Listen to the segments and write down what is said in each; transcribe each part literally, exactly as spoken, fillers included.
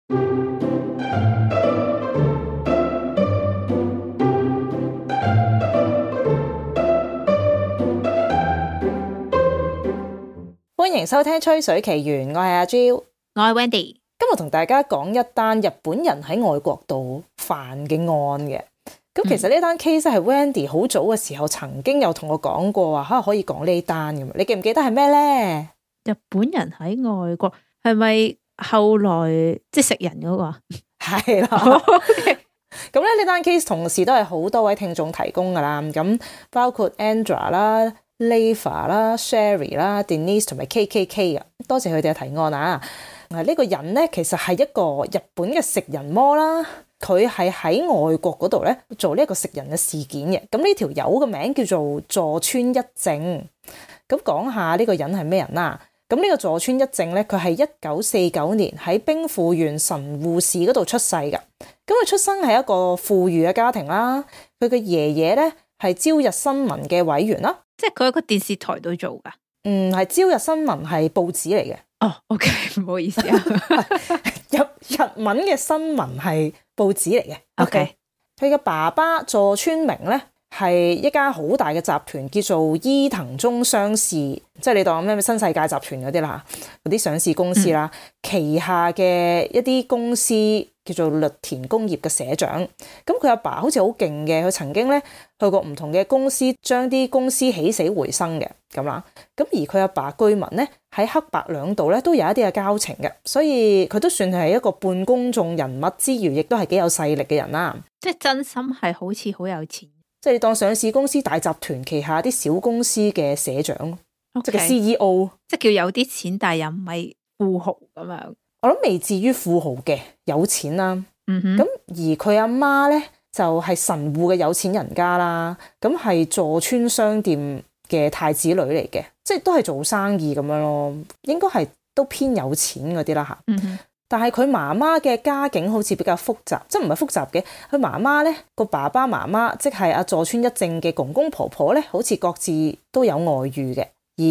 歡迎收聽《吹水奇緣》，我係阿 Jill， 我係 Wendy。今日同大家講一單日本人喺外國度犯嘅案嘅。咁其實呢單 case 係 Wendy 好早嘅時候曾經有同我講過話，吓可以講呢單嘅。你記唔記得係咩呢？日本人喺外國係咪後來即係食人嗰個啊？係啦。咁咧呢單 case 同時都係好多位聽眾提供噶啦。咁包括 Andra 啦、Leva 啦、Sherry 啦、Denise 同埋 K K K 嘅，多謝佢哋嘅提案啊！呢、這個人咧其實係一個日本嘅食人魔啦，佢係喺外國嗰度咧做呢一個食人嘅事件嘅。咁呢條友嘅名叫做佐川一正。咁講下呢個人係咩人啦？咁呢個佐川一正咧，佢係一九四九年喺兵庫縣神戶市嗰度出世嘅。咁佢出生係一個富裕嘅家庭啦。佢嘅爺爺咧係朝日新聞嘅委員啦。即係佢喺個電視台度做噶。嗯，係朝日新聞係報紙嚟嘅。哦 ，OK， 唔好意思啊。日日文嘅新聞係報紙嚟嘅。OK，佢嘅爸爸佐川明咧係一家好大嘅集團，叫做伊藤忠商事，即係你當咩新世界集團嗰啲啦，嗰啲上市公司啦，嗯、旗下嘅一啲公司叫做綠田工業嘅社長。咁佢阿爸好似好勁嘅，佢曾經咧去過唔同嘅公司，將啲公司起死回生嘅咁啦。咁而佢阿爸據聞咧喺黑白兩道咧都有一啲嘅交情嘅，所以佢都算係一個半公眾人物之餘，亦都係幾有勢力嘅人啦。即係真心係好似好有錢，即係你當上市公司大集團旗下啲小公司嘅社長，okay，即係個 C E O， 即係叫有啲錢，但係又唔係富豪咁樣。我諗未至於富豪嘅，有錢啦。嗯哼。咁而佢阿媽咧就係、是、神戶嘅有錢人家啦，咁係佐川商店嘅太子女嚟嘅，即係都係做生意咁樣咯，應該係都偏有錢嗰啲啦吓。嗯哼。但係佢媽媽嘅家境好似比較複雜，即係唔係複雜嘅。佢媽媽咧個爸爸媽媽，即係阿佐川一正嘅公公婆婆咧，好似各自都有外遇嘅，而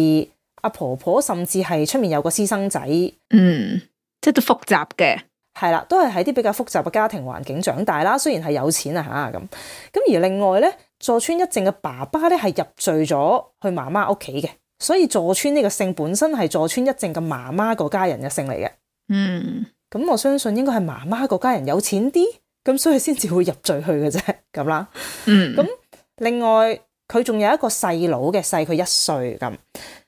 阿婆婆甚至係出面有個私生仔。嗯，即係都複雜嘅。係啦，都係喺啲比較複雜嘅家庭環境長大啦。雖然係有錢啊吓咁，咁而另外咧，佐川一正嘅爸爸咧係入贅咗去媽媽屋企嘅，所以佐川呢個姓本身係佐川一正嘅媽媽個家人嘅姓嚟嘅。嗯，咁我相信應該係媽媽個家人有錢啲，咁所以先至會入贅去嘅啫，咁啦。嗯，咁另外佢仲有一個細佬嘅，細佢一歲咁，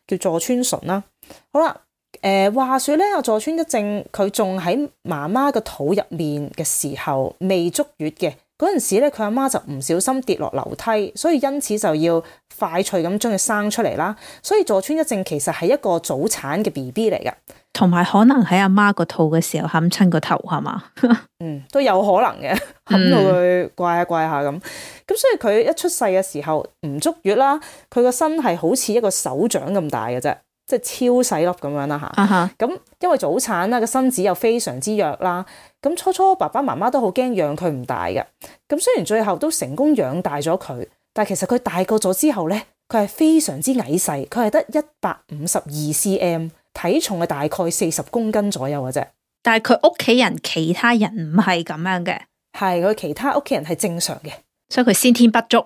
叫佐川純啦。好啦，誒、呃，話說咧，阿佐川一正佢仲喺媽媽個肚入面嘅時候未足月嘅嗰陣時咧，佢阿媽就唔小心跌落樓梯，所以因此就要快脆咁將佢生出嚟啦。所以佐川一正其實係一個早產嘅 B B 嚟噶。同埋可能喺阿媽個肚嘅時候冚親個頭係嘛？嗯，都有可能嘅，冚到佢怪下怪下咁。咁所以佢一出世嘅時候唔足月啦，佢個身係好似一個手掌咁大嘅啫，即係超細粒咁樣啦吓。咁、uh-huh. 因為早產啦，個身子又非常之弱啦。咁初初爸爸媽媽都好驚養佢唔大嘅。咁雖然最後都成功養大咗佢，但係其實佢大個咗之後咧，佢係非常之矮細，佢係得一百五十二 cm。體重係大概四十公斤左右嘅啫，但係佢屋企人其他人唔係咁樣嘅，係佢其他屋企人係正常嘅，所以佢先天不足。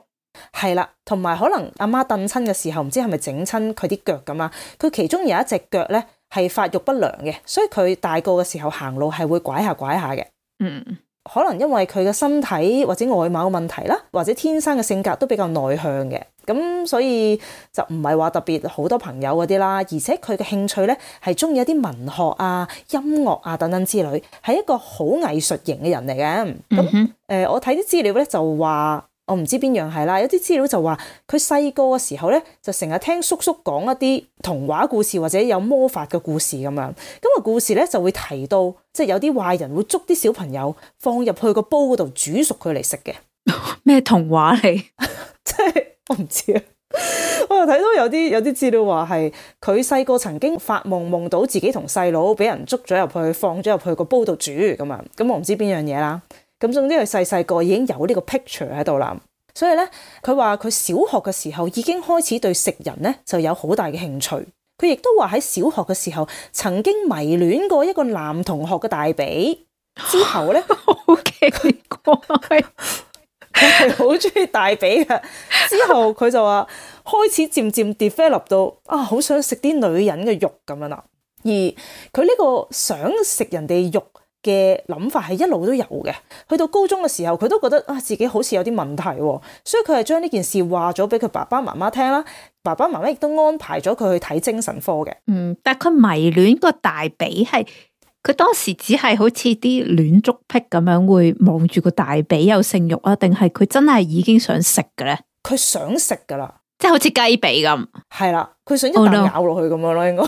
係啦，同埋可能阿媽蹬親嘅時候，唔知係咪整親佢啲腳咁啦，佢其中有一隻腳咧係發育不良嘅，所以佢大個嘅時候行路係會拐下拐下嘅。嗯，可能因為佢嘅身體或者外貌問題啦，或者天生嘅性格都比較內向嘅。咁所以就唔係話特別好多朋友嗰啲啦，而且佢嘅興趣咧係中意一啲文學啊、音樂啊等等之類，係一個好藝術型嘅人嚟嘅。咁、嗯呃、我睇啲資料咧就話，我唔知邊樣係啦，有啲資料就話佢細個嘅時候咧就成日聽叔叔講一啲童話故事或者有魔法嘅故事咁樣。咁個故事咧就會提到，即係有啲壞人會捉啲小朋友放入去個煲嗰度煮熟佢嚟食嘅。咩童話嚟？即係。我唔知啊，我又睇到有啲有啲資料話係佢細個曾經發夢夢到自己同細佬俾人捉咗入去，放咗入去個煲度煮咁啊，咁我唔知邊樣嘢啦。咁總之佢細細個已經有呢個 picture 喺度啦，所以咧佢話佢小學嘅時候已經開始對食人咧就有好大嘅興趣。佢亦都話喺小學嘅時候曾經迷戀過一個男同學嘅大髀。之後咧，好奇怪，佢係好中意大髀嘅。之後佢就話開始漸漸 develop 到啊，好想食啲女人嘅肉咁樣啦。而佢呢個想食人哋肉嘅諗法係一路都有嘅。去到高中嘅時候，佢都覺得啊自己好似有啲問題，所以佢係將呢件事話咗俾佢爸爸媽媽聽啦。爸爸媽媽亦都安排咗佢去睇精神科嘅。嗯，但係佢迷戀個大髀係。佢當時只係好似啲戀足癖咁樣，會望住個大髀有性慾啊？定係佢真係已經想食嘅咧？佢想食噶啦，即係好似雞髀咁。係啦，佢想一啖咬落去咁樣咯，應該。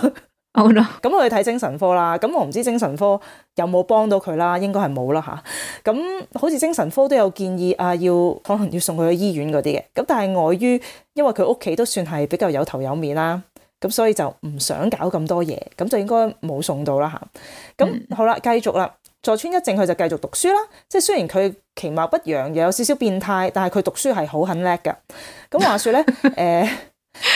好啦，咁佢去睇精神科啦。咁我唔知精神科有冇幫到佢啦，應該係冇啦吓。咁好似精神科都有建議啊，要可能要送佢去醫院嗰啲嘅。咁但係礙於因為佢屋企都算係比較有頭有面啦。咁所以就唔想搞咁多嘢，咁就應該冇送到啦吓。咁、嗯、好啦，繼續啦。佐川一正佢就繼續讀書啦。即係雖然佢其貌不揚，又有少少變態，但係佢讀書係好很叻㗎。咁話說咧，誒、呃，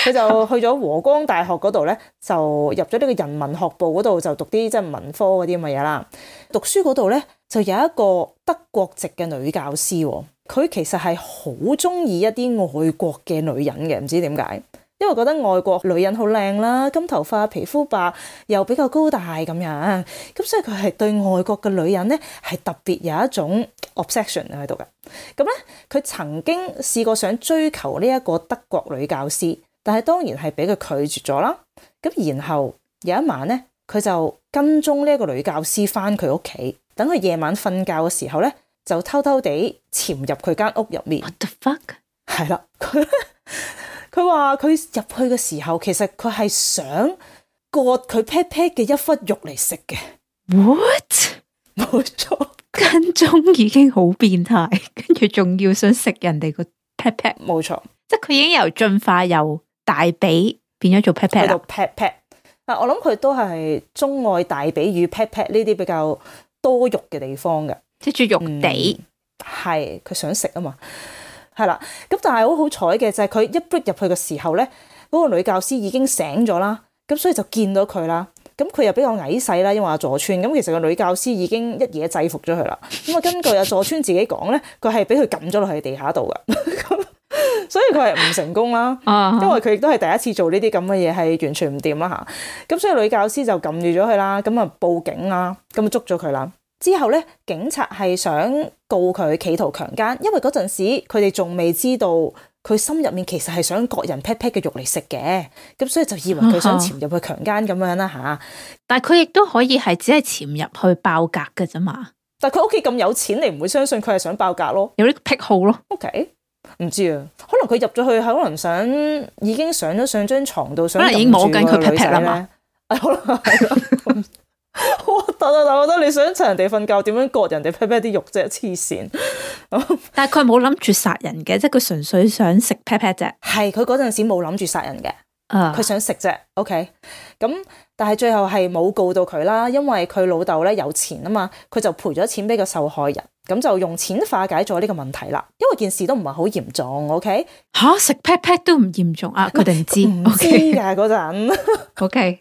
佢就去咗和光大學嗰度咧，就入咗呢個人文學部嗰度，就讀啲即係文科嗰啲咁嘅嘢啦。讀書嗰度咧，就有一個德國籍嘅女教師，佢其實係好中意一啲外國嘅女人嘅，唔知點解。因為覺得外國女人好靚啦，金頭髮、皮膚白，又比較高大咁樣，咁所以佢係對外國嘅女人咧係特別有一種 obsession 喺度嘅。咁咧，佢曾經試過想追求呢一個德國女教師，但係當然係俾佢拒絕咗啦。咁然後有一晚咧，佢就跟蹤呢一個女教師翻佢屋企，等佢夜晚瞓覺嘅時候咧，就偷偷地潛入佢間屋入面。What the fuck？ 係啦，佢佢話佢入去嘅時候，其實佢係想割佢 pat pat 嘅一忽肉嚟食嘅。What？ 冇錯，跟蹤已經好變態，跟住仲要想食人哋個 pat pat。冇錯，即係佢已經由進化由大髀變咗做 pat pat 啦。去到 pat pat。嗱，我諗佢都係鍾愛大髀與 pat pat 呢啲比較多肉嘅地方嘅，即係住肉地。係佢想食啊嘛。係啦，咁但係好好彩嘅就係佢一bước入去嘅時候咧，嗰個女教師已經醒咗啦，咁所以就見到佢啦。咁佢又比較矮細啦，因為阿佐川咁，其實個女教師已經一嘢制服咗佢啦。咁啊，根據阿佐川自己講咧，佢係俾佢撳咗落去地下度噶，所以佢係唔成功啦。因為佢亦都係第一次做呢啲咁嘅嘢，係完全唔掂啦吓。咁所以女教師就撳住咗佢啦，咁啊報警啦，咁啊捉咗佢啦。之後咧，警察係想告佢企圖強姦，因為嗰陣時佢哋仲未知道佢心入面其實係想割人 pat pat 嘅肉嚟食嘅，咁所以就以為佢想潛入去強姦咁樣啦吓。但係佢亦都可以係只係潛入去爆格嘅啫嘛。但係佢屋企咁有錢，你唔會相信佢係想爆格咯？有啲癖好咯。OK， 唔知啊，可能佢入咗去，可能想已經上咗上張床度，想可能已經摸緊佢 pat pat 啦嘛。可能係咯。我得啊！但我覺得你想趁人哋瞓覺，點樣割人哋 pat pat 啲肉啫？黐線！但係佢冇諗住殺人嘅，即係佢純粹想食 pat pat 啫。係佢嗰陣時冇諗住殺人嘅，佢、uh. 想食啫。OK，咁但係最後係冇告到佢啦，因為佢老豆咧有錢啊嘛，佢就賠咗錢俾個受害人，咁就用錢化解咗呢個問題啦。因為件事都唔係好嚴重。OK， 吓食 pat pat 都唔嚴重啊？佢哋唔知唔知噶嗰陣。OK。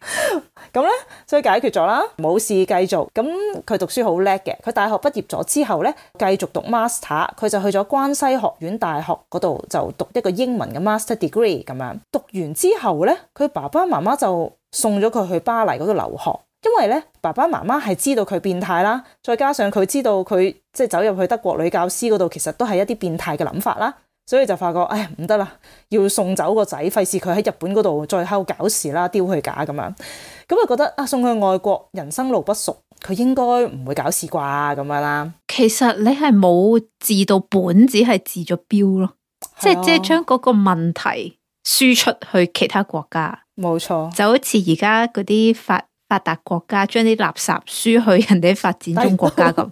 咁咧，所以解決咗啦，冇事繼續。咁佢讀書好叻嘅，佢大學畢業咗之後咧，繼續讀 master， 佢就去咗關西學院大學嗰度就讀一個英文嘅 master degree 咁樣。讀完之後咧，佢爸爸媽媽就送咗佢去巴黎嗰度留學，因為咧爸爸媽媽係知道佢變態啦，再加上佢知道佢即係走入去德國女教師嗰度，其實都係一啲變態嘅諗法啦。所以就發覺，哎呀唔得啦，要送走個仔，費事佢喺日本嗰度再喺度搞事啦，丟佢架咁樣。咁啊覺得啊，送去外國，人生路不熟，佢應該唔會搞事啩咁樣啦。其實你係冇治到本，只係治咗標咯，即係即係將嗰個問題輸出去其他國家。冇錯，就好似而家嗰啲發發達國家將啲垃圾輸去人哋發展中國家咁。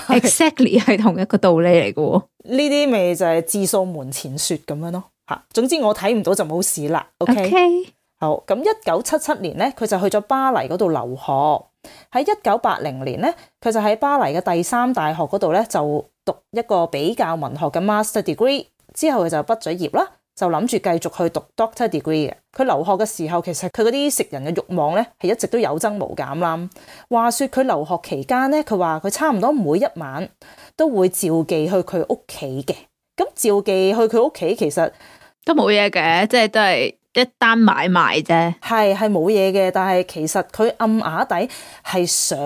Exactly 係同一個道理嚟嘅喎，呢啲咪就係自掃門前雪咁樣咯吓。總之我睇唔到就冇事啦。OK，, okay. 好，咁一九七七年咧，佢就去咗巴黎嗰度留學。喺一九八零年咧，佢就喺巴黎嘅第三大學嗰度咧就讀一個比較文學嘅 master degree。之後佢就畢咗業啦，就諗住繼續去讀 Doctor Degree 嘅。佢留學嘅時候，其實佢嗰啲食人嘅慾望咧係一直都有增無減啦。話說佢留學期間咧，佢話佢差唔多每一晚都會召妓去佢屋企嘅。咁召妓去佢屋企其實都冇嘢嘅，即係都係一單買賣啫。係係冇嘢嘅，但係其實佢暗啞底係想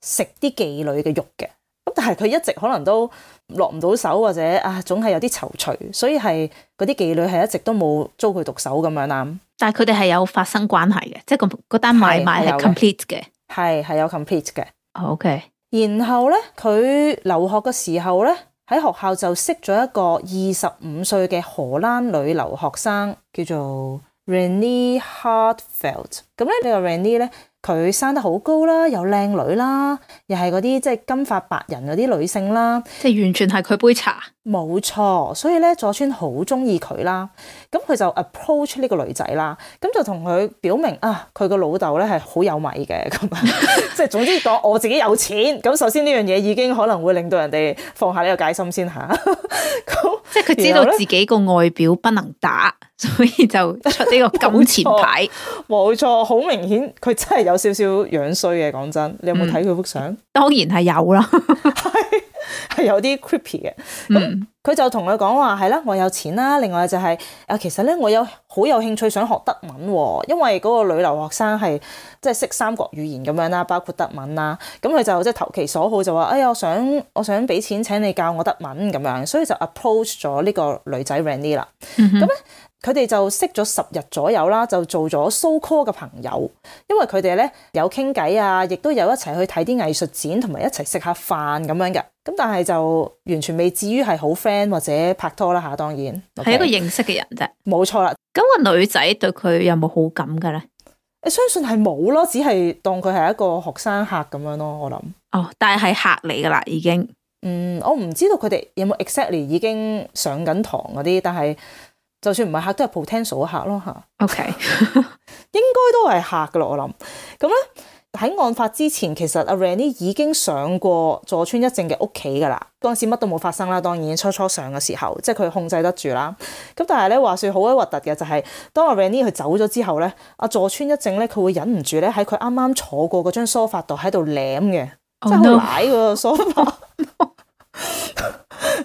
食啲妓女嘅肉嘅。咁但係佢一直可能都落唔到手，或者啊總係有啲躊躇，所以係嗰啲妓女係一直都冇遭佢毒手咁樣啦。但係佢哋係有發生關係嘅，即係個嗰單買賣係 complete 嘅，係係有 complete 嘅。OK。然後咧，佢留學嘅時候咧，喺學校就識咗一個二十五歲嘅荷蘭女留學生，叫做 Renee Hartveld。咁咧呢個 Renee 咧，佢生得好高啦，又靚女啦，又係嗰啲即係金髮白人嗰啲女性啦，即係完全係佢杯茶。冇錯，所以咧佐川好中意佢啦。咁佢就 approach 呢個女仔啦，咁就同佢表明啊，佢個老豆咧係好有米嘅咁樣，即係總之講我自己有錢。咁首先呢樣嘢已經可能會令到人哋放下呢個戒心先嚇。即係佢知道自己個外表不能打，所以就出呢個金錢牌。冇錯，好明顯佢真係有少少樣衰嘅。講真，你有冇睇佢幅相？當然係有啦。係係有啲 creepy 嘅。咁佢、嗯、就同佢講話係啦，我有錢啦。另外就係、是、啊，其實咧我有好有興趣想學德文喎，因為嗰個女留學生係即係識三國語言咁樣啦，包括德文啦。咁佢就即係投其所好，就話哎呀，我想我想俾錢請你教我德文咁樣，所以就 approach 咗呢個女仔 Renee 啦。咁咧、嗯。佢哋就識咗十日左右啦，就做咗 so call 嘅朋友，因為佢哋咧有傾偈啊，亦都有一齊去睇啲藝術展，同埋一齊食下飯咁樣嘅。咁但係就完全未至於係好 friend 或者拍拖啦嚇，當然係、okay? 一個認識嘅人啫。冇錯啦。咁個女仔對佢有冇好感嘅咧？你相信係冇咯，只係當佢係一個學生客咁樣咯，我諗。哦，但係係客嚟噶啦，已經。嗯，我唔知道佢哋有冇 exactly 已經上緊堂嗰啲，但係。就算唔係客，都係 potential 客咯嚇。OK，應該都係客噶咯，我諗。咁咧喺案發之前，其實阿 Renee 已經上過佐川一正嘅屋企噶啦。嗰陣時乜都冇發生啦，當然初初上嘅時候，即係佢控制得住啦。咁但係咧話説好鬼核突嘅就係、是，當阿 Renee 佢走咗之後咧，阿佐川一正咧佢會忍唔住咧喺佢啱啱坐過嗰張梳化度喺度舐嘅，oh, 即係好舐個梳化。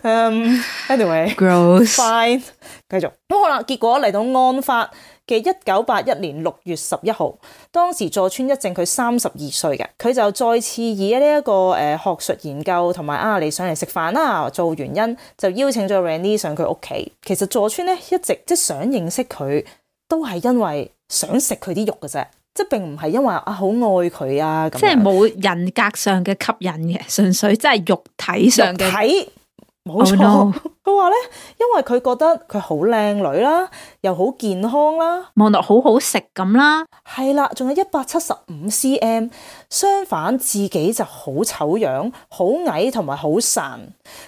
Um, anyway，gross，fine， 繼續咁好啦。結果嚟到案發嘅一九八一年六月十一號，當時佐川一正佢三十二歲嘅，佢就再次以呢、這、一個誒、呃、學術研究同埋啊你上嚟食飯啦做原因，就邀請咗 Renee 上佢屋企。其實佐川咧一直即係想認識佢，都係因為想食佢啲肉嘅啫。即係並唔係因為啊好愛佢啊，咁即係冇人格上嘅吸引嘅，純粹真係肉體上嘅。睇冇錯，佢話咧，因為佢覺得佢好靚女啦，又好健康啦，望落好好食咁啦，係啦，仲有一百七十五 cm。相反，自己就好醜樣、好矮同埋好孱。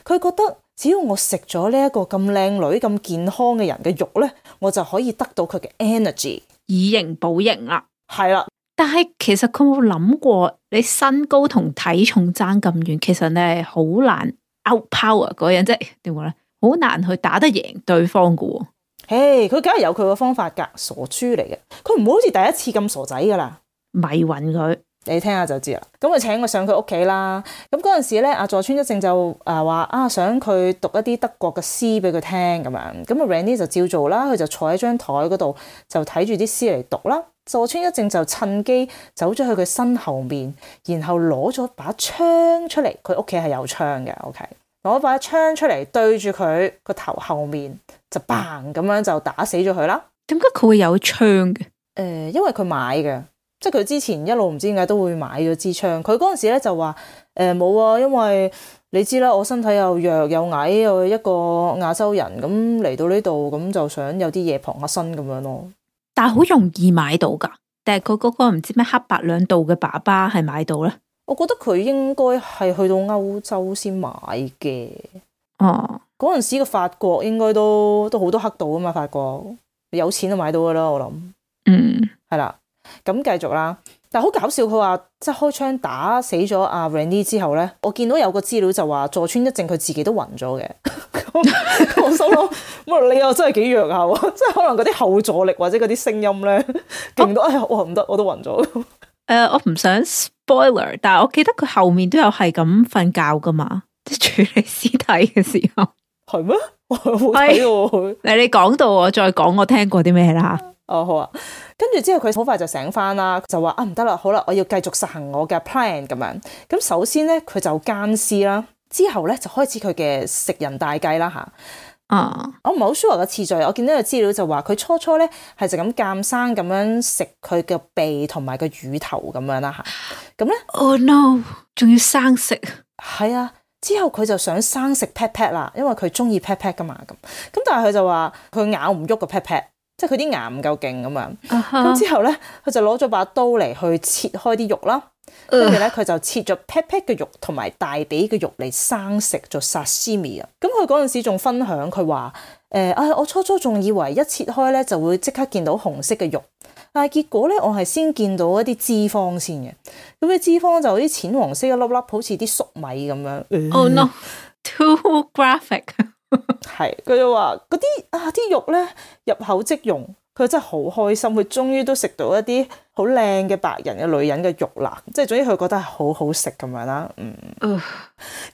佢覺得只要我食咗呢一個咁靚女、咁健康嘅人嘅肉咧，我就可以得到佢嘅 energy，以形補形啦。係啦，但係其實佢冇諗過，你身高同體重爭咁遠，其實你係好難 outpower 嗰人，即係點講咧？好難去打得贏對方噶喎。嘿，佢梗係有佢個方法噶，傻豬嚟嘅。佢唔會好似第一次咁傻仔噶啦，迷暈佢。你聽下就知啦。咁佢請我上佢屋企啦。咁嗰陣時咧，阿佐川一正就誒話啊，想佢讀一啲德國嘅詩俾佢聽咁樣。咁啊 Renee 就照做啦，佢就坐喺張台嗰度就睇住啲詩嚟讀啦。佐川一正就趁機走咗去佢身後面，然後攞咗把槍出嚟。佢屋企係有槍嘅 ，OK，攞把槍出嚟對住佢個頭後面就 bang 咁樣就打死咗佢啦。點解佢會有槍嘅？誒、呃，因為佢買嘅。即係佢之前一路唔知點解都會買咗支槍。佢嗰陣時咧就話誒冇啊，因為你知啦，我身體又弱又矮，又一個亞洲人咁嚟到呢度，咁就想有啲嘢傍下身咁樣咯。但係好容易買到㗎，定係佢嗰個唔知咩黑白兩道嘅爸爸係買到咧？我覺得佢應該係去到歐洲先買嘅。哦，嗰陣時嘅法國應該都都好多黑道啊嘛，法國有錢就買到㗎啦，我諗。嗯，係啦。咁繼續啦，但係好搞笑，佢話即係開槍打死咗阿 Rennie 之後咧，我見到有個資料就話佐川一正佢自己都暈咗嘅。我心諗，乜你又真係幾弱下喎？即係可能嗰啲後座力或者嗰啲聲音咧，勁到哎呀，我唔得，我都暈咗。誒、呃，我唔想 spoiler，但係我記得佢後面都有係咁瞓覺噶嘛，即係處理屍體嘅時候。係咩？我冇睇喎。你你講到我再講，我聽過啲咩啦？哦，好啊。跟住之後佢好快就醒翻啦，就話啊唔得啦，好啦，我要繼續實行我嘅 plan 咁樣。咁首先咧，佢就奸屍啦，之後咧就開始佢嘅食人大計啦吓。啊、uh，我唔係好 sure 嘅次序，我見到個資料就話佢初初咧係就咁鑑生咁樣食佢嘅鼻同埋個乳頭咁樣啦吓。咁咧 ，Oh no， 仲要生食？係啊。之後佢就想生食 pat pat 啦，因為佢中意 pat pat 噶嘛咁。咁但係佢就話佢咬唔喐個 pat pat，即係佢啲牙唔夠勁咁樣。咁、uh-huh. 之後咧，佢就攞咗把刀嚟去切開啲肉啦。跟住咧，佢就切咗 pat pat 嘅肉同埋大髀嘅肉嚟生食做 sashimi 啊。咁佢嗰陣時仲分享佢話誒啊，我初初仲以為一切開咧就會即刻見到紅色嘅肉。但係結果咧，我係先見到一啲脂肪先嘅，咁啲脂肪就好似淺黃色一粒粒，好似啲粟米咁樣。Oh no, too graphic。係，佢就話嗰啲啊啲肉咧入口即溶，佢真係好開心，佢終於都食到一啲好靚嘅白人嘅女人嘅肉啦，即係總之佢覺得係好好食咁樣啦。嗯，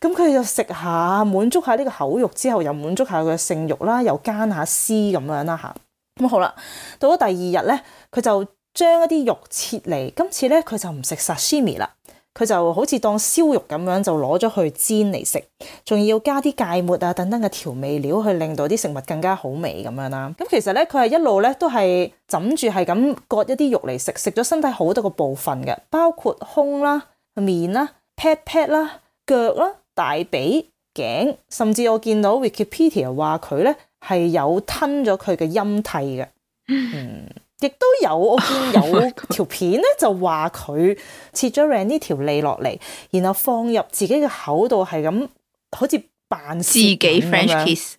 咁佢就食下滿足下呢個口欲之後，又滿足下佢嘅性欲啦，又奸下屍咁樣啦吓。咁好啦，到咗第二日咧，佢就將一啲肉切嚟。今次咧，佢就唔食 sashimi 啦，佢就好似當燒肉咁樣，就攞咗去煎嚟食，仲要加啲芥末啊等等嘅調味料，去令到啲食物更加好味咁樣啦。咁其實咧，佢係一路咧都係枕住係咁割一啲肉嚟食，食咗身體好多個部分嘅，包括胸啦、面啦、pat pat 啦、腳啦、大髀、頸，甚至我見到 Wikipedia 話佢咧係有吞咗佢嘅陰蒂嘅，嗯，亦都有我見有條片咧就話佢切咗 Rennie 條脷落嚟，然後放入自己嘅口度，係咁好似扮自己 French kiss，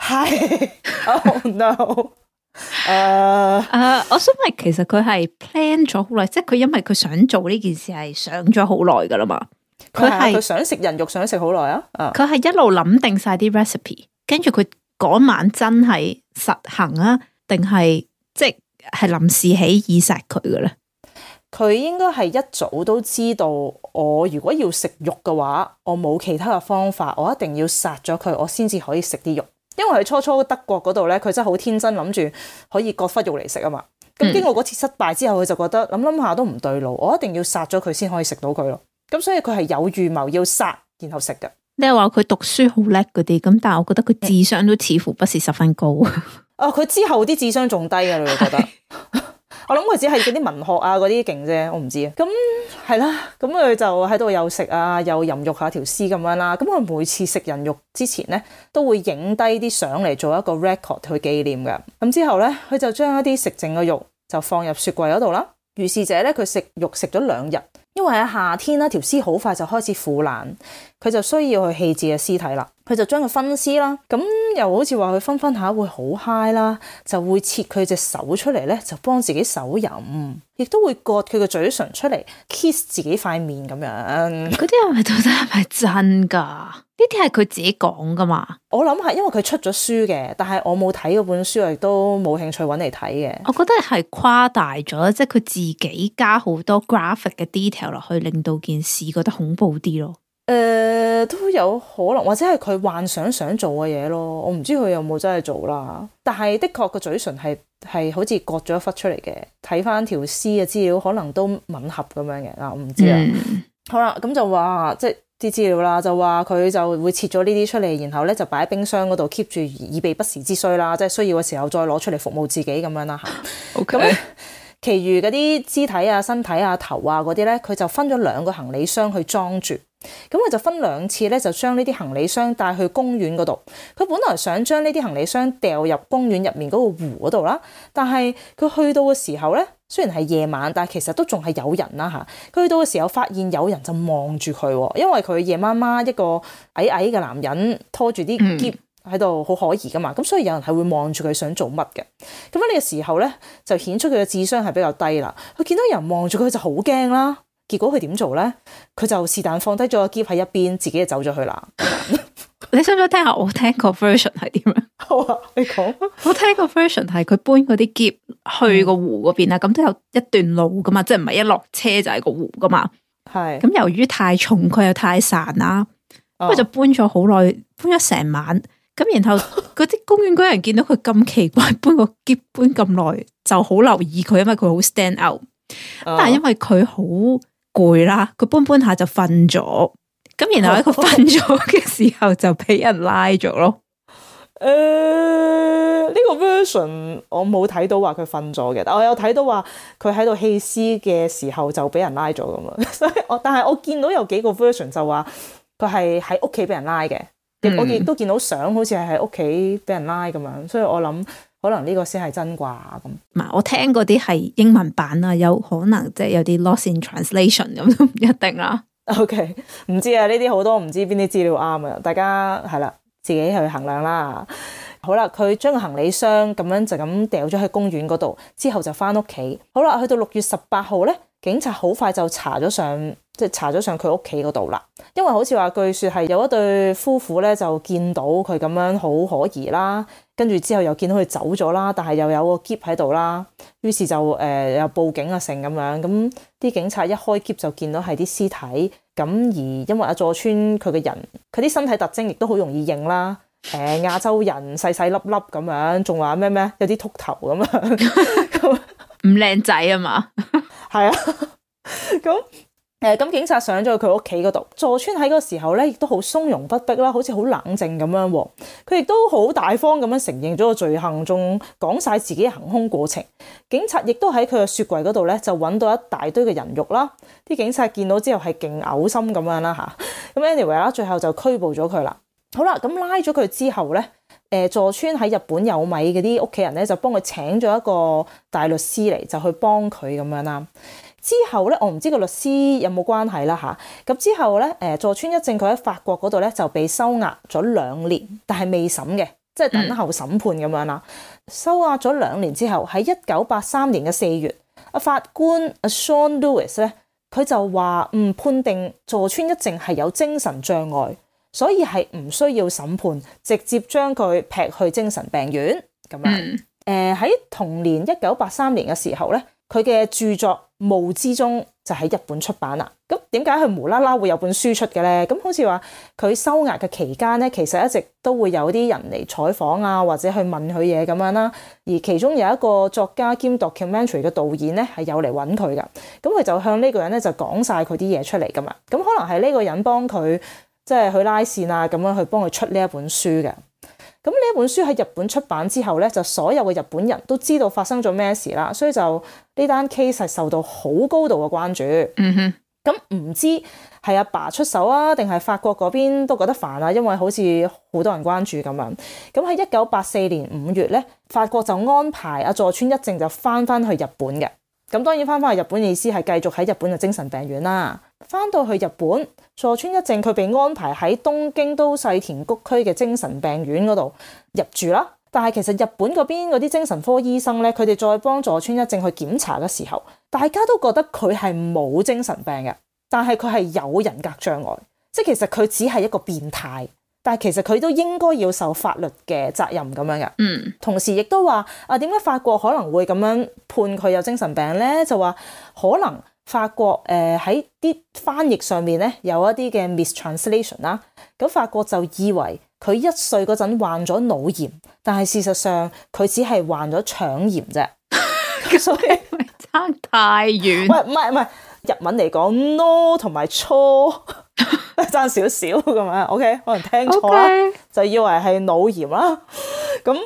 係，Oh no， 誒、uh, 誒，我想問其實佢係 plan 咗好耐，即係佢因為佢想做呢件事係想咗好耐噶啦嘛，佢係佢想食人肉，想食好耐啊，佢係一路諗定晒啲 recipe， 跟住佢嗰晚真係實行啊，定係即係臨時起意殺佢嘅咧？佢應該係一早都知道，我如果要食肉嘅話，我冇其他嘅方法，我一定要殺咗佢，我先至可以食啲肉。因為佢初初德國嗰度咧，佢真係好天真諗住可以割忽肉嚟食啊嘛。咁經過嗰次失敗之後，佢就覺得諗諗下都唔對路，我一定要殺咗佢先可以食到佢咯。咁所以佢係有預謀要殺然後食嘅。你係話佢讀書好叻嗰啲，咁但係我覺得佢智商都似乎不是十分高。啊，佢之後啲智商仲低嘅，你會覺得？我諗佢只係嗰啲文學啊嗰啲勁啫，我唔知啊。咁係啦，咁佢就喺度又食啊，又淫辱下條屍咁樣啦。咁佢每次食人肉之前咧，都會影低啲相嚟做一個 record 去紀念嘅。咁之後咧，佢就將一啲食剩嘅肉就放入雪櫃嗰度啦。如是者咧，佢食肉食咗兩日，因為喺夏天啦，條屍好快就開始腐爛，佢就需要去棄置嘅屍體啦。佢就將佢分屍啦，咁又好似話佢分分下會好嗨啦，就會切佢隻手出嚟咧，就幫自己手淫，亦都會割佢個嘴唇出嚟 kiss 自己塊面咁樣。嗰啲係咪到底係咪真噶？呢啲係佢自己講噶嘛？我諗係因為佢出咗書嘅，但係我冇睇嗰本書，亦都冇興趣揾嚟睇嘅。我覺得係誇大咗，即係佢自己加好多 graphic 嘅 detail 落去，令到件事覺得恐怖啲咯。誒、呃，都有可能，或者係佢幻想想做嘅嘢咯。我唔知佢有冇真係做啦。但係的確個嘴唇係係好似割咗一忽出嚟嘅。睇翻條屍嘅資料，可能都吻合咁樣嘅。嗱，我唔知啦、嗯。好啦，咁就話即係啲資料啦，就話佢就會切咗呢啲出嚟，然後咧就擺喺冰箱嗰度 keep 住，以備不時之需啦。即係需要嘅時候再攞出嚟服務自己咁樣啦。吓，OK。咁其餘嗰啲肢體啊、身體啊、頭啊嗰啲咧，佢就分咗兩個行李箱去裝住。咁佢就分兩次咧，就將呢啲行李箱帶去公園嗰度。佢本來想將呢啲行李箱掉入公園入面嗰個湖嗰度啦，但係佢去到嘅時候咧，雖然係夜晚，但係其實都仲係有人啦吓。佢去到嘅時候，發現有人就望住佢，因為佢夜媽媽一個矮矮嘅男人拖住啲篋喺度好可疑噶嘛，咁所以有人係會望住佢想做乜嘅。咁喺呢個時候咧，就顯出佢嘅智商係比較低啦。佢見到有人望住佢就好驚啦，結果佢點做咧？佢就是但放低咗個篋喺一邊，自己就走咗去啦。你想唔想聽下我聽個 version 係點樣？好啊，你講。我聽個 version 係佢搬嗰啲篋去個湖嗰邊啦，咁、嗯、都有一段路噶嘛，即係唔係一落車就係個湖噶嘛。係。咁由於太重，佢又太散啦，咁、哦、就搬咗好耐，搬咗成晚。咁然後嗰啲公園嗰人見到佢咁奇怪，搬個篋搬咁耐，就好留意佢，因為佢好 stand out。但係因為佢好攰啦，佢搬搬下就瞓咗。咁然後喺佢瞓咗嘅時候就俾人拉咗咯。誒、呃，呢、這個 version 我冇睇到話佢瞓咗嘅，但我有睇到話佢喺度棄屍嘅時候就俾人拉咗咁啊。所以我但係我見到有幾個 version 就話佢係喺屋企俾人拉嘅，嗯、我亦都見到相好似係喺屋企俾人拉咁樣，所以我諗可能呢個先係真啩咁。唔係，我聽嗰啲係英文版啊，有可能即係有啲 lost in translation 咁都唔一定啦。OK， 唔知啊，呢啲好多唔知邊啲資料啱啊，大家係啦，自己去衡量啦。好啦，佢將個行李箱咁樣就咁掉咗喺公園嗰度，之後就翻屋企。好啦，去到六月十八號咧，警察好快就查咗上，即係查咗上佢屋企嗰度啦。因為好似話據說係有一對夫婦咧，就見到佢咁樣好可疑啦，跟住之後又見到佢走咗啦，但係又有個篋喺度啦，於是就誒、呃、又報警啊成咁樣。咁啲警察一開篋就見到係啲屍體，咁而因為阿佐川佢嘅人，佢啲身體特徵亦都好容易認啦。誒、呃、亞洲人細細粒粒咁樣，仲話咩咩有啲禿頭咁樣，唔靚仔啊嘛，係啊，咁誒咁警察上咗去佢屋企嗰度，佐川喺嗰個時候咧，亦都好從容不迫啦，好似好冷靜咁樣喎。佢亦都好大方咁樣承認咗個罪行，仲講晒自己嘅行兇過程。警察亦都喺佢嘅雪櫃嗰度咧，就揾到一大堆嘅人肉啦。啲警察見到之後係勁嘔心咁樣啦嚇。咁 anyway 啦，最後就拘捕咗佢啦。好啦，咁拉咗佢之後咧，誒佐川喺日本有米嗰啲屋企人咧，就幫佢請咗一個大律師嚟，就去幫佢咁樣啦。之後咧，我唔知個律師有冇關係啦嚇。咁之後咧，誒佐川一正佢喺法國嗰度咧就被收押咗兩年，但係未審嘅，即係等候審判咁樣啦。嗯、收押咗兩年之後，喺一九八三年嘅四月，阿法官阿 Sean Lewis 咧，佢就話唔判定佐川一正係有精神障礙。所以係唔需要審判，直接將佢劈去精神病院咁樣。誒、嗯、喺、呃、同年一九八三年嘅時候咧，佢嘅著作《霧之中》就喺日本出版啦。咁點解佢無啦啦會有本書出嘅咧？咁好似話佢收押嘅期間咧，其實一直都會有啲人嚟採訪啊，或者去問佢嘢咁樣啦。而其中有一個作家兼 documentary 嘅導演咧，係有嚟揾佢噶。咁佢就向呢個人咧就講晒佢啲嘢出嚟噶嘛。咁可能係呢個人幫佢。即係去拉線啊，咁樣去幫佢出呢一本書嘅。咁呢一本書喺日本出版之後咧，就所有嘅日本人都知道發生咗咩事啦，所以就呢單 case 係受到好高度嘅關注。嗯哼。咁唔知係阿爸出手啊，定係法國嗰邊都覺得煩啊？因為好似好多人關注咁樣。咁喺一九八四年五月咧，法國就安排阿佐川一正就翻翻去日本嘅。咁當然翻返去日本嘅意思係繼續喺日本嘅精神病院啦。翻到去日本，佐川一正佢被安排喺東京都世田谷區嘅精神病院嗰度入住啦。但係其實日本嗰邊嗰啲精神科醫生咧，佢哋再幫佐川一正去檢查嘅時候，大家都覺得佢係冇精神病嘅，但係佢係有人格障礙，即係其實佢只係一個變態。但係其實佢都應該要受法律嘅責任咁樣嘅。嗯，同時亦都話啊，點解法國可能會咁樣判佢有精神病咧？就話可能法國誒喺啲翻譯上面咧有一啲嘅 mistranslation 啦。咁法國就以為佢一歲嗰陣患咗腦炎，但係事實上佢只係患咗腸炎啫。所以咪差太遠。喂，唔係唔係，日文嚟講 no 同埋錯。爭少少咁樣 ，OK， 可能聽錯啦，okay. 就以為係腦炎啦，咁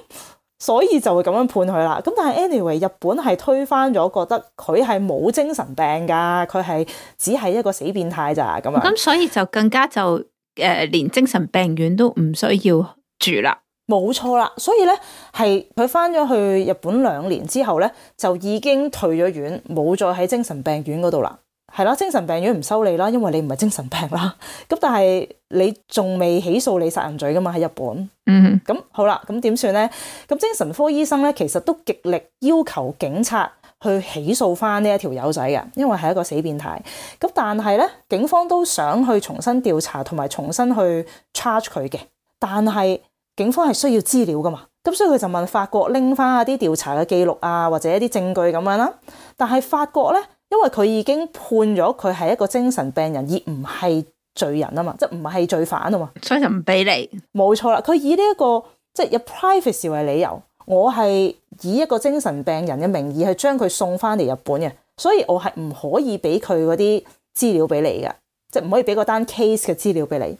所以就會咁樣判佢啦。咁但係 anyway，日本係推翻咗，覺得佢係冇精神病噶，佢係只係一個死變態咋咁樣。咁所以就更加就誒、呃，連精神病院都唔需要住啦。冇錯啦，所以咧係佢翻咗去日本兩年之後咧，就已經退咗院，冇再喺精神病院嗰度啦。係啦，精神病院唔收你啦，因為你唔係精神病啦。咁但係你仲未起訴你殺人罪噶嘛喺日本。嗯，咁好啦，咁點算咧？咁精神科醫生咧，其實都極力要求警察去起訴翻呢一條友仔嘅，因為係一個死變態。咁但係咧，警方都想去重新調查同埋重新去 charge 佢嘅，但係警方係需要資料噶嘛。咁所以佢就問法國拎翻一啲調查嘅記錄啊，或者一啲證據咁樣啦。但係法國咧，因為佢已經判咗佢係一個精神病人，而唔係罪人啊嘛，即係唔係罪犯啊嘛，所以就唔俾你。冇錯啦，佢以呢、這、一個即係有 privacy 為理由，我係以一個精神病人嘅名義去將佢送翻嚟日本嘅，所以我係唔可以俾佢嗰啲資料俾你嘅，即係唔可以俾嗰單 case 嘅資料俾你。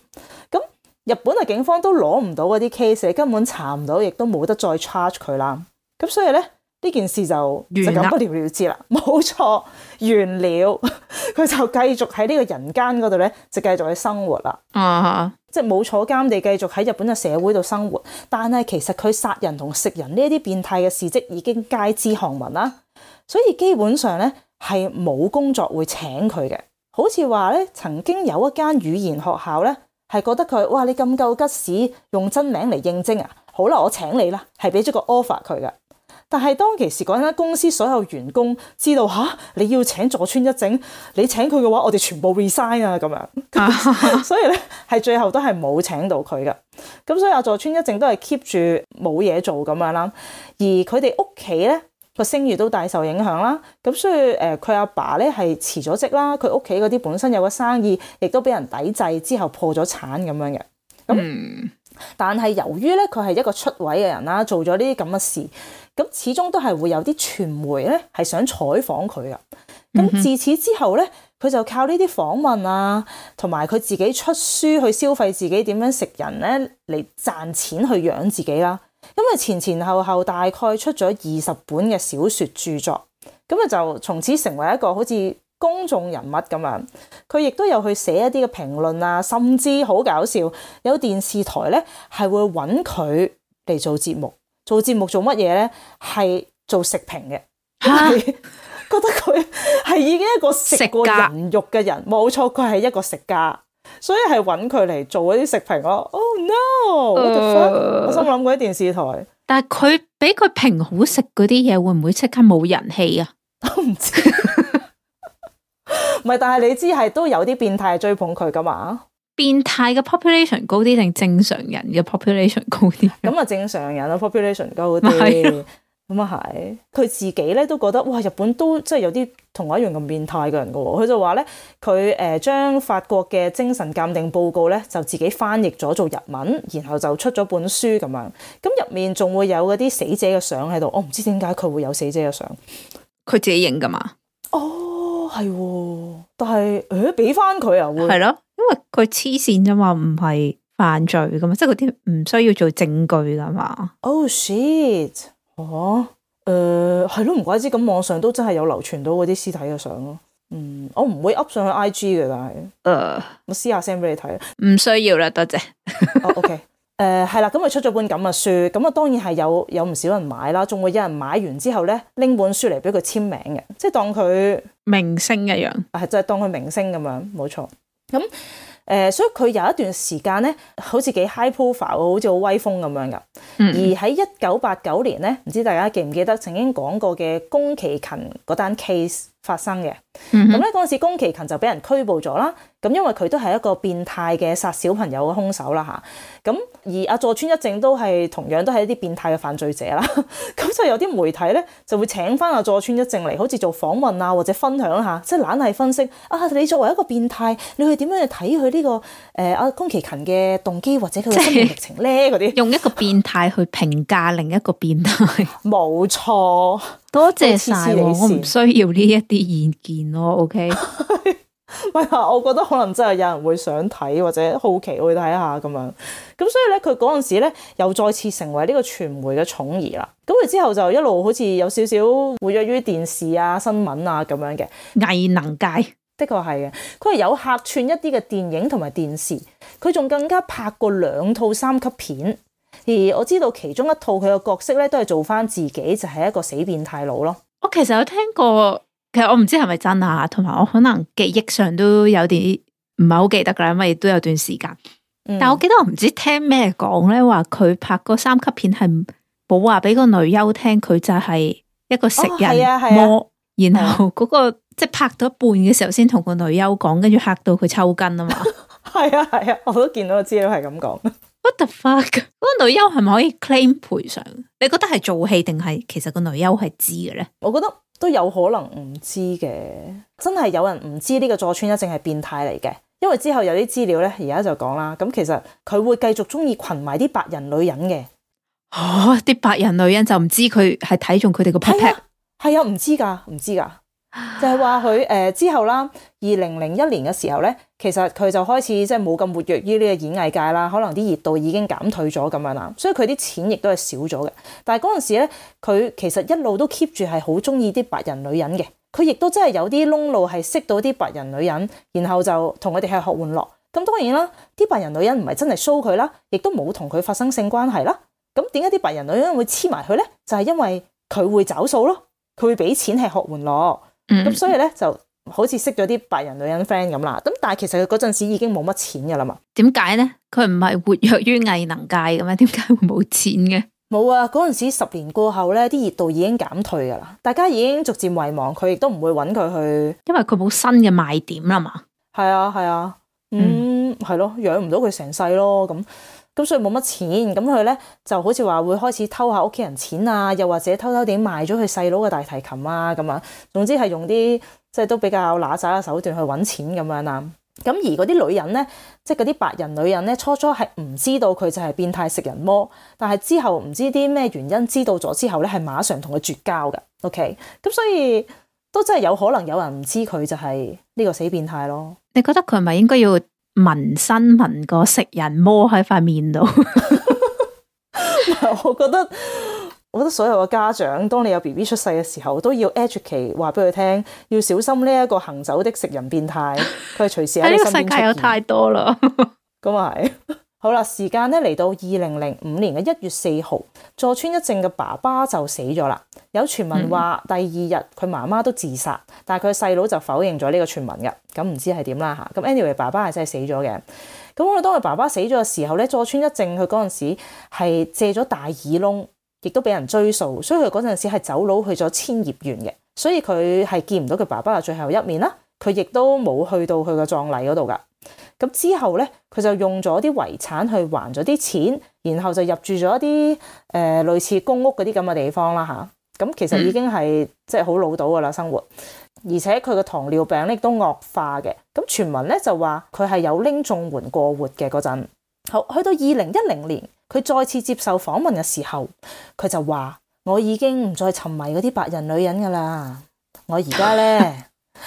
咁日本嘅警方都攞唔到嗰啲 case，你根本查唔到，亦都冇得再 charge 佢啦。咁所以咧，呢件事就就咁不了了之啦。冇錯，完了，佢就繼續喺呢個人間嗰度咧，就繼續去生活啦。啊，即係冇坐監地繼續喺日本嘅社會度生活。但係其實佢殺人同食人呢一啲變態嘅事蹟已經街知巷聞啦，所以基本上咧係冇工作會請佢嘅。好似話咧，曾經有一間語言學校咧，係覺得佢，哇，你咁夠吉屎，用真名嚟應徵啊！好啦，我請你啦，係俾咗個 offer 佢嘅。但係當其時嗰間公司所有員工知道吓，你要請佐川一正，你請佢嘅話，我哋全部 resign 啊咁樣。所以咧係最後都係冇請到佢嘅。咁所以阿佐川一正都係 keep 住冇嘢做咁樣啦。而佢哋屋企咧個聲譽都大受影響啦。咁所以誒佢阿爸咧係辭咗職啦，佢屋企嗰啲本身有個生意，亦都俾人抵制之後破咗產咁樣嘅。咁、嗯、但係由於咧佢係一個出位嘅人啦，做咗呢啲咁嘅事，咁始終都係會有啲傳媒咧係想採訪佢噶。咁自此之後咧，佢就靠呢啲訪問啊，同埋佢自己出書去消費自己點樣食人咧嚟賺錢去養自己啦。因為前前後後大概出咗二十本嘅小說著作，咁啊就從此成為一個好似公眾人物咁樣。佢亦都有去寫一啲嘅評論啊，甚至好搞笑，有電視台咧係會揾佢嚟做節目。做節目做乜嘢咧？係做食評嘅，係覺得佢係已經一個食過人肉嘅人，冇錯，佢係一個食家，所以係揾佢嚟做嗰啲食評咯。Oh no！What the fuck？、呃、我心諗嗰啲電視台，但係佢俾佢評好食嗰啲嘢，會唔會即刻冇人氣啊？我唔知，唔係，但係你知係都有啲變態追捧佢噶嘛？變態嘅 population 高啲定正常人嘅 population 高啲？咁啊，正常人嘅 population 高啲，咁啊係。佢自己咧都覺得，哇！日本都即係有啲同我一樣咁變態嘅人噶喎。佢就話咧，佢誒將法國嘅精神鑑定報告咧就自己翻譯咗做日文，然後就出咗本書咁樣。咁入面仲會有嗰啲死者嘅相喺度。我唔知點解佢會有死者嘅相，佢自己影噶嘛？哦，係喎，但係誒俾翻佢啊會係咯。因為佢黐線啫嘛，唔係犯罪噶嘛，即係嗰啲唔需要做證據噶嘛。Oh shit！ 哦，誒係咯，唔怪之咁網上都真係有流傳到嗰啲屍體嘅相咯。嗯，我唔會 up 上去 I G 嘅，但係誒、呃、我私下 send 俾你睇。唔需要啦，多謝。哦 OK，誒係啦，咁佢出咗本咁嘅書，咁啊當然係有有唔少人買啦，仲會有人買完之後咧拎本書嚟俾佢簽名嘅，即係當佢明星一樣，係就係當佢明星咁樣，冇錯。咁誒、呃，所以佢有一段時間咧，好似幾 high profile，好似好威風咁樣噶。嗯、而喺一九八九年咧，唔知大家記唔記得曾經講過嘅宮崎勤嗰單 case 發生嘅。咁咧嗰陣時，宮崎勤就俾人拘捕咗啦。咁因為佢都係一個變態嘅殺小朋友嘅兇手啦嚇。咁而阿佐川一正都係同樣都係一啲變態嘅犯罪者啦。咁就有啲媒體咧就會請翻阿佐川一正嚟，好似做訪問啊，或者分享下，即係懶係分析啊。你作為一個變態，你去點樣去睇佢呢個誒阿宮崎勤嘅動機或者佢嘅生命歷程咧？嗰啲用一個變態去評價另一個變態，冇錯。多謝晒，我唔需要呢一啲意見咯。OK。唔係啊，我覺得可能真係有人會想睇或者好奇去睇下咁樣，咁所以咧佢嗰陣時咧又再次成為呢個傳媒嘅寵兒啦。咁佢之後就一路好似有少少活躍於電視啊、新聞啊咁樣嘅藝能界，的確係嘅。佢係有客串一啲嘅電影同埋電視，佢仲更加拍過兩套三級片。而我知道其中一套佢嘅角色咧都係做翻自己，就係、是、一個死變態佬咯。我其實有聽過其實我唔知係咪真啊，同埋我可能記憶上都有啲唔係好記得噶啦，因為都有段時間。嗯、但係我記得我唔知聽咩講咧，話佢拍個三級片係冇話俾個女優聽，佢就係一個食人魔，哦啊啊、然後嗰、那個、啊、即係拍到一半嘅時候先同個女優講，跟住嚇到佢抽筋啊嘛。係啊係啊，我都見到個資料係咁講。What the fuck？嗰個女優係咪可以 claim 賠償？你覺得係做戲定係其實個女優係知嘅咧？我覺得都有可能唔知嘅，真係有人唔知呢個佐川一正係變態嚟嘅。因為之後有啲資料咧，而家就講啦。咁其實佢會繼續中意群埋啲白人女人嘅。哦，啲白人女人就唔知佢係睇中佢哋個 pat pat。係啊，唔知噶，唔知噶。就係話佢誒之後啦，二零零一年嘅時候咧，其實佢就開始即係冇咁活躍於呢個演藝界啦。可能啲熱度已經減退咗咁樣啦，所以佢啲錢亦都係少咗嘅。但係嗰陣時咧，佢其實一路都 keep 住係好中意啲白人女人嘅。佢亦都真係有啲窿路係識到啲白人女人，然後就同佢哋係學玩樂。咁當然啦，啲白人女人唔係真係 show 佢啦，亦都冇同佢發生性關係啦。咁點解啲白人女人會黐埋佢咧？就係因為佢會找數咯，佢會俾錢係學玩樂。咁、嗯、所以咧就好似識咗啲白人女人 friend 咁啦。咁但係其實佢嗰陣時已經冇乜錢噶啦嘛。點解咧？佢唔係活躍於藝能界嘅咩？點解會冇錢嘅？冇啊！嗰陣時十年過後咧，啲熱度已經減退噶啦，大家已經逐漸遺忘佢，亦都唔會揾佢去，因為佢冇新嘅賣點啦嘛。係啊係啊，嗯係咯，養唔到佢成世咯，咁咁所以冇乜錢，咁佢咧就好似話會開始偷下屋企人錢啊，又或者偷偷地賣咗佢細佬嘅大提琴啊，咁啊，總之係用啲即係都比較揦雜嘅手段去揾錢咁樣啦。咁而嗰啲女人咧，即係嗰啲白人女人咧，初初係唔知道佢就係變態食人魔，但係之後唔知啲咩原因知道咗之後咧，係馬上同佢絕交㗎。OK，咁所以都真係有可能有人唔知佢就係呢個死變態咯。你覺得佢係咪應該要紋身紋個食人魔喺塊面度？我覺得。我覺得所有嘅家長，當你有 B B 出世嘅時候，都要 educate 話俾佢聽，要小心呢一個行走的食人變態，佢係隨時喺你身邊出現。呢個世界有太多啦。咁啊係。好啦，時間咧嚟到二零零五年嘅一月四號，佐川一正嘅爸爸就死咗啦。有傳聞話第二日佢媽媽都自殺，但係佢細佬就否認咗呢個傳聞嘅。咁唔知係點啦嚇。咁 anyway，爸爸係真係死咗嘅。咁我哋當佢爸爸死咗嘅時候咧，佐川一正佢嗰陣時係借咗大耳窿。亦都俾人追訴，所以佢嗰陣時係走佬去咗千葉縣嘅，所以佢係見唔到佢爸爸嘅最後一面啦。佢亦都冇去到佢個葬禮嗰度噶。咁之後咧，佢就用咗啲遺產去還咗啲錢，然後就入住咗一啲誒、呃、類似公屋嗰啲咁嘅地方啦吓。咁其實已經係、嗯、即係好老到噶啦生活，而且佢嘅糖尿病咧亦都惡化嘅。咁傳聞咧就話佢係有拎綜援過活嘅嗰陣。好，去到二零一零年。佢再次接受訪問嘅時候，佢就話：我已經唔再沉迷嗰啲白人女人噶啦，我而家咧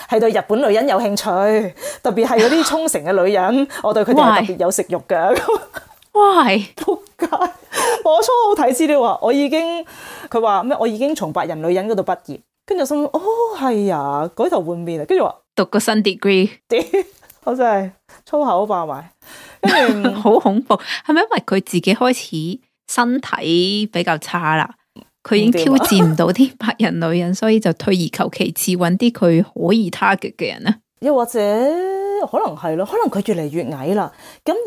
係對日本女人有興趣，特別係嗰啲沖繩嘅女人，我對佢哋係特別有食慾噶。喂，仆街！我初好睇資料話，我已經佢話咩？我已經從白人女人嗰度畢業，跟住我心諗哦係啊，改頭換面啊，跟住話讀個新 degree，我真係粗口爆埋。跟住好恐怖，係咪因為佢自己開始身體比較差啦？佢已經挑戰唔到啲白人女人，所以就退而求其次，揾啲佢可以 target 嘅人咧。又或者可能係咯，可能佢越嚟越矮啦。咁而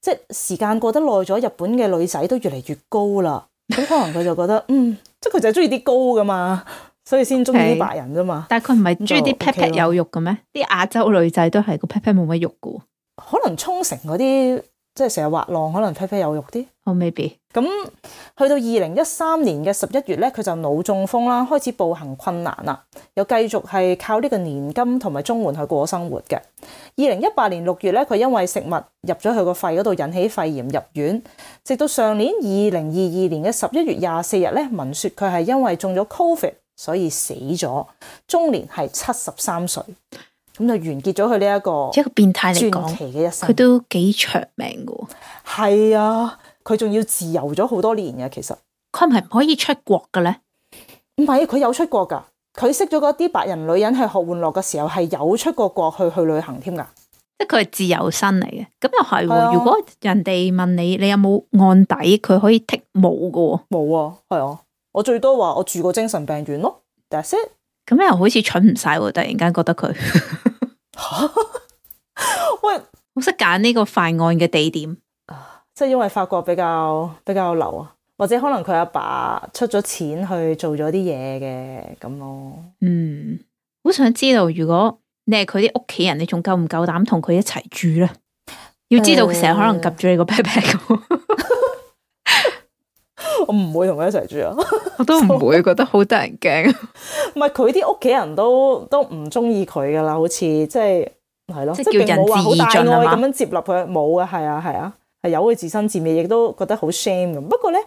即係時間過得耐咗，日本嘅女仔都越嚟越高啦。咁可能佢就覺得嗯，即係佢就係中意啲高噶嘛，所以先中意啲白人啫嘛。但係佢唔係中意啲 pat pat 有肉嘅咩？啲亞洲女仔都係個 pat pat 冇乜肉噶。可能沖繩嗰啲即係成日滑浪，可能 pat pat 有肉啲。哦、oh，maybe。咁去到二零一三年嘅十一月咧，佢就腦中風啦，開始步行困難啦，又繼續係靠呢個年金同埋綜援去過生活嘅。二零一八年六月咧，佢因為食物入咗佢個肺嗰度引起肺炎入院，直到上年二零二二年嘅十一月廿四日咧，聞說佢係因為中咗 Covid 所以死咗，終年係七十三歲。咁就完結咗佢呢一個一個變態嚟講，傳奇嘅一生。佢都幾長命噶。係啊，佢仲要自由咗好多年嘅。其實佢係咪唔可以出國嘅咧？唔係，佢有出國噶。佢識咗嗰啲白人女人係學玩樂嘅時候，係有出過國去去旅行添噶。即係佢係自由身嚟嘅。咁又係、啊，如果人哋問你，你有冇案底，佢可以剔冇噶。冇啊，係啊。我最多話我住過精神病院咯。That's it。咁又好似蠢唔晒喎，突然間覺得佢喂，好識揀呢個犯案嘅地點，即係因為法國比較比較流啊，或者可能佢阿爸出咗錢去做咗啲嘢嘅咁咯。嗯，好想知道如果你係佢啲屋企人，你仲夠唔夠膽同佢一齊住咧？要知道佢成日可能及住你個 pat pat。我唔會同佢一齊住啊！我都唔會覺得好得人驚。唔係佢啲屋企人都都唔中意佢噶啦，好似即係係咯，即係叫仁至義盡冇話好大愛啊嘛咁樣接納佢，冇啊，係啊係啊，係由佢自生自滅，亦都覺得好 shame 咁。不過咧，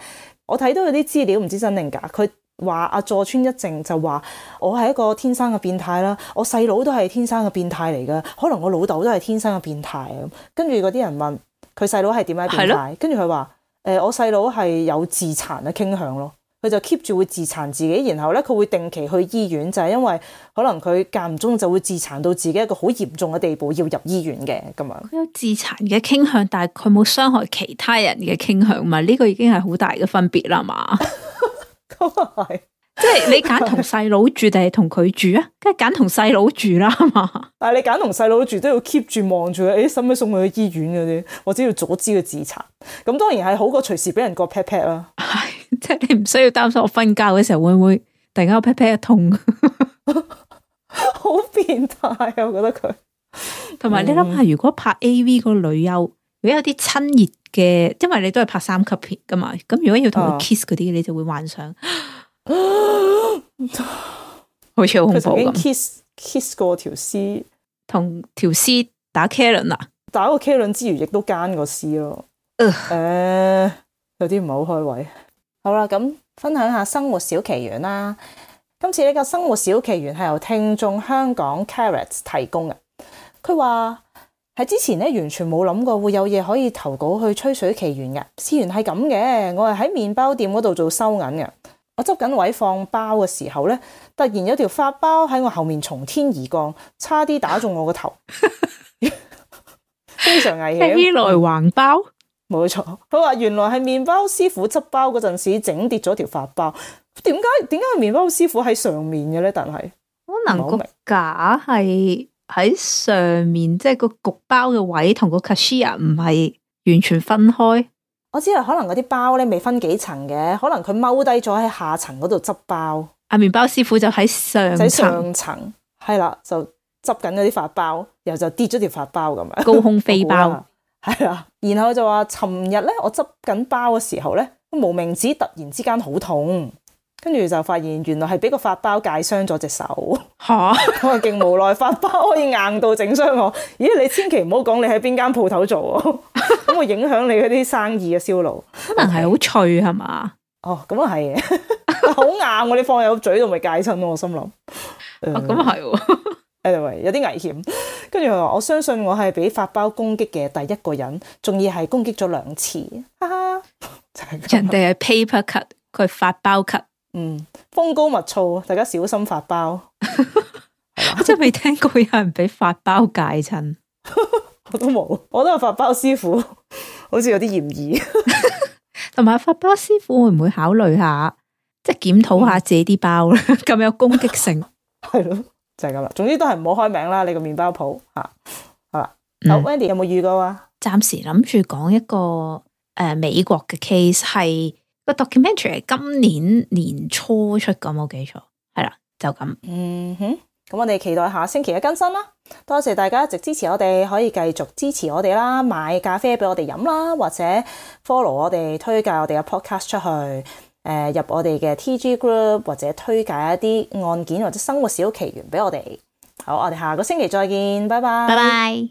我睇到有啲資料唔知真定假，佢話阿佐川一正就話我係一個天生嘅變態啦，我細佬都係天生嘅變態嚟噶，可能我老豆都係天生嘅變態啊。跟住嗰啲人問佢細佬係點解變態，跟住佢話。誒、呃，我細佬係有自殘嘅傾向咯，佢就 keep 住會自殘自己，然後咧佢會定期去醫院，就係、是、因為可能佢間唔中就會自殘到自己一個好嚴重嘅地步，要入醫院嘅咁樣。佢有自殘嘅傾向，但係佢冇傷害其他人嘅傾向嘛？呢、這個已經係好大嘅分別啦嘛。咁啊係，即係你揀同細佬住定係同佢住啊？梗係揀同細佬住啦嘛。但係你揀同細佬住都要 keep 住望住佢，誒使唔使送佢去醫院嗰啲，或者要阻止佢自殘。咁當然係好過隨時俾人割 pat pat 啦。係，即係你唔需要擔心我瞓覺嘅時候會唔會突然間我 pat pat 一痛，好變態啊！我覺得佢。同埋你諗下，如果拍 A V 個女優，如果有啲親熱嘅，因為你都係拍三級片噶嘛，咁如果要同佢 kiss 嗰啲，啊、你就會幻想。好似好恐怖咁。佢曾經 kiss kiss 過條屍，同條屍打 K 輪啊！打個 K 輪之餘，亦都奸個屍咯。誒、呃，有啲唔係好開胃。好啦，咁分享下生活小奇緣啦。今次呢個生活小奇緣係由聽眾香港 Carrot 提供嘅。佢話喺之前咧完全冇諗過會有嘢可以投稿去吹水奇緣嘅。事緣係咁嘅，我係喺麵包店嗰度做收銀嘅。我執緊位放包嘅時候咧，突然有條發包喺我後面從天而降，差啲打中我個頭，非常危險。飛來橫包，冇錯。佢話原來係麵包師傅執包嗰陣時整跌咗條發包。點解點解麵包師傅喺上面嘅咧？但係可能個架係喺上面，即係個焗包嘅位同個 cashier 唔係完全分開。我知道可能嗰啲包咧未分幾層嘅，可能佢踎低咗喺下層嗰度執包。阿麵包師傅就喺上層，喺上層係啦，就執緊嗰啲發包，然後就跌咗條發包咁樣，高空飛包係啦。然後就話尋日咧，我執緊包嘅時候咧，無名指突然之間好痛，跟住就發現原來係俾個發包界傷咗隻手。吓，我係勁無奈，發包可以硬到整傷我。咦，你千祈唔好講你喺邊間鋪頭做啊，咁會影響你嗰啲生意嘅銷路。可能係好脆係嘛？哦，咁啊係嘅，好硬我你放入嘴度咪戒親咯，我心諗。哦，咁啊係。anyway 有啲危險。跟住佢話我相信我係俾發包攻擊嘅第一個人，仲要係攻擊咗兩次。哈哈，就係咁。人哋係 paper cut， 佢係發包 cut。嗯，風高物燥，大家小心發包。我真係未聽過有人俾發包戒親。我都冇，我都係發包師傅，好似有啲嫌疑。同埋發包師傅會唔會考慮下，即係檢討下自己啲包咧？咁、嗯、有攻擊性，係咯，就係咁啦。總之都係唔好開名啦，你個麵包鋪吓，好啦。好、嗯、Wendy 有冇預告啊？暫時諗住講一個誒、呃、美國嘅 case， 係個 documentary 係今年年初出咁，冇記錯，係啦，就咁。嗯哼，咁我哋期待下星期嘅更新啦。多謝大家一直支持我哋，可以繼續支持我哋啦，買咖啡俾我哋飲啦，或者 follow 我哋，推介我哋嘅 podcast 出去，誒、呃、入我哋嘅 T G group， 或者推介一啲案件或者生活小奇緣俾我哋。好，我哋下個星期再見，拜拜。拜拜。